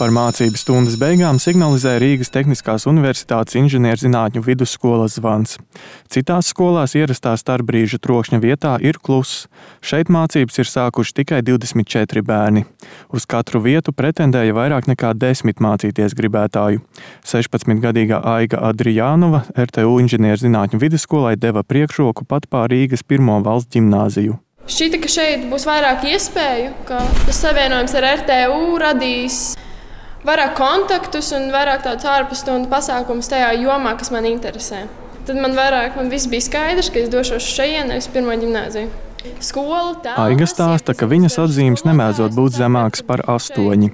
Par mācību stundas beigām signalizē Rīgas Tehniskās Universitātes inženierzinātņu vidusskolas zvans. Citās skolās ierastā starpbrīža trokšņa vietā ir kluss. Šeit mācības ir sākuši tikai 24 bērni. Uz katru vietu pretendēja vairāk nekā 10 mācīties gribētāju. 16-gadīgā Aiga Adrijānova RTU inženierzinātņu vidusskolai deva priekšroku pat pār Rīgas pirmo valsts ģimnāziju. Šķita, ka šeit būs vairāk iespēju, ka tas savienojums ar RTU radīs vairāk kontaktus un vairāk tādus ārpusstundu pasākumus tajā jomā, kas man interesē. Tad man viss bija skaidrs, ka es došos šeit, nevis pirmo ģimnāziju. Aiga stāsta, ka viņas atzīmes nemēdzot būt zemākas par 8.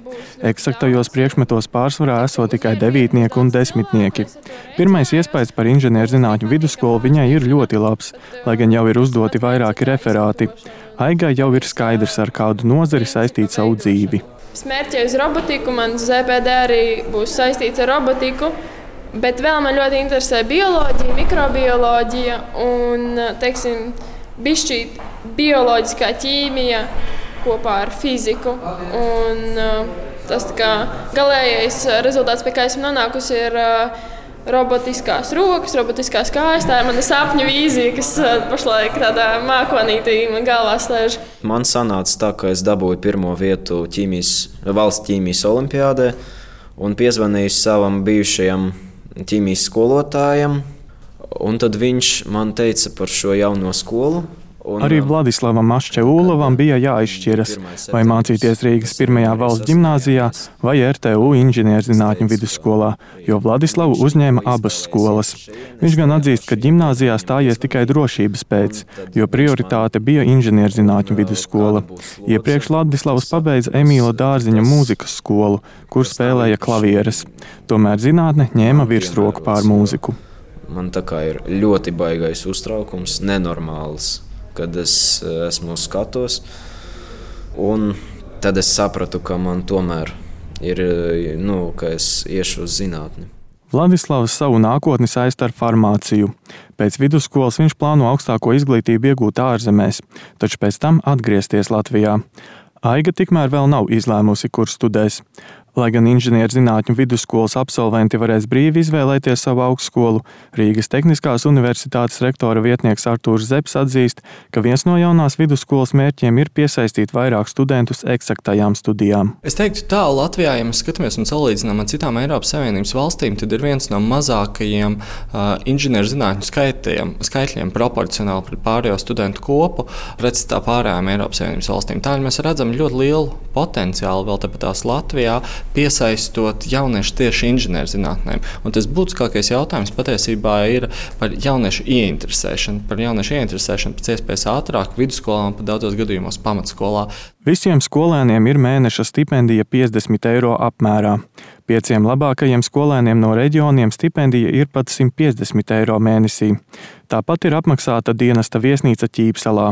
Eksaktajos priekšmetos pārsvarā esot tikai 9 un 10. Pirmais iespējas par inženierzinātņu vidusskolu viņai ir ļoti labs, lai gan jau ir uzdoti vairāki referāti. Aigai jau ir skaidrs, ar kādu nozari saistīt savu dzīvi. Es mērķēju uz robotiku, man ZPD arī būs saistīts ar robotiku, bet vēl man ļoti interesē bioloģija, mikrobioloģija un, bišķīt bioloģiskā ķīmija kopā ar fiziku. Un tas galējais rezultāts, pie kā esmu nonākusi, ir robotiskās rokas, robotiskās kājas. Tā ir mana sapņu vīzija, kas pašlaik tādā mākonītī man galvā stāž. Man sanāca tā, ka es dabūju pirmo vietu valsts ķīmijas olimpiādē un piezvanīju savam bijušajam ķīmijas skolotājam. Un tad viņš man teica par šo jauno skolu. Arī Vladislavam Maščeūlovam bija jāizšķiras, vai mācīties Rīgas pirmajā valsts ģimnāzijā vai RTU inženierzinātņu vidusskolā, jo Vladislavu uzņēma abas skolas. Viņš gan atzīst, ka ģimnāzijā stājies tikai drošības pēc, jo prioritāte bija inženierzinātņu vidusskola. Iepriekš Vladislavs pabeidza Emīla Dārziņa mūzikas skolu, kur spēlēja klavieres. Tomēr zinātne ņēma virsroku pār mūziku. Man tā kā ir ļoti baigais uztraukums, nenormāls, kad es esmu uz skatos. Un tad es sapratu, ka man tomēr ir, ka es iešu uz zinātni. Vladislavs savu nākotni saista ar farmāciju. Pēc vidusskolas viņš plāno augstāko izglītību iegūt ārzemēs, taču pēc tam atgriezties Latvijā. Aiga tikmēr vēl nav izlēmusi, kur studēs. Lai gan inženierzinātņu vidusskolas absolventi varēs brīvi izvēlēties savu augstskolu, Rīgas Tehniskās Universitātes rektora vietnieks Artūrs Zepes atzīst, ka viens no jaunās vidusskolas mērķiem ir piesaistīt vairāk studentus eksaktajām studijām. Es teiktu tā, Latvijā, ja mēs skatāmies un salīdzinām ar citām Eiropas Savienības valstīm, tad ir viens no mazākajiem inženierzinātņu skaitļiem proporcionāli pret pārējo studentu kopu pretstatā pārējām Eiropas Savienības valstīm. Tādēļ mēs redzam ļoti lielu potenciālu vēl tepatās Latvijā, piesaistot jauniešu tieši inženierzinātnēm. Un tas būtiskākais jautājums patiesībā ir par jauniešu ieinteresēšanu. Par jauniešu ieinteresēšanu pēc iespējas ātrāk vidusskolā un pat daudzos gadījumos pamatskolā. Visiem skolēniem ir mēneša stipendija 50 eiro apmērā. 5 labākajiem skolēniem no reģioniem stipendija ir pat 150 eiro mēnesī. Tāpat ir apmaksāta dienesta viesnīca Ķīpsalā.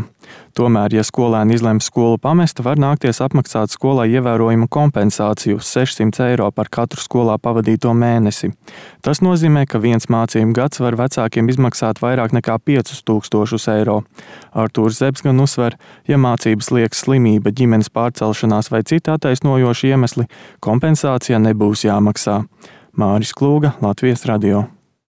Tomēr, ja skolēni izlems skolu pamest, var nākties apmaksāt skolai ievērojumu kompensāciju 600 eiro par katru skolā pavadīto mēnesi. Tas nozīmē, ka viens mācību gads var vecākiem izmaksāt vairāk nekā 5000 eiro. Artūrs Zepes gan uzsver, ja mācības liekas slimība, ģimenes pārcelšanās vai citi attaisnojoši iemesli, kompensācija nebūs jāmaksā. Māris Klūga, Latvijas radio.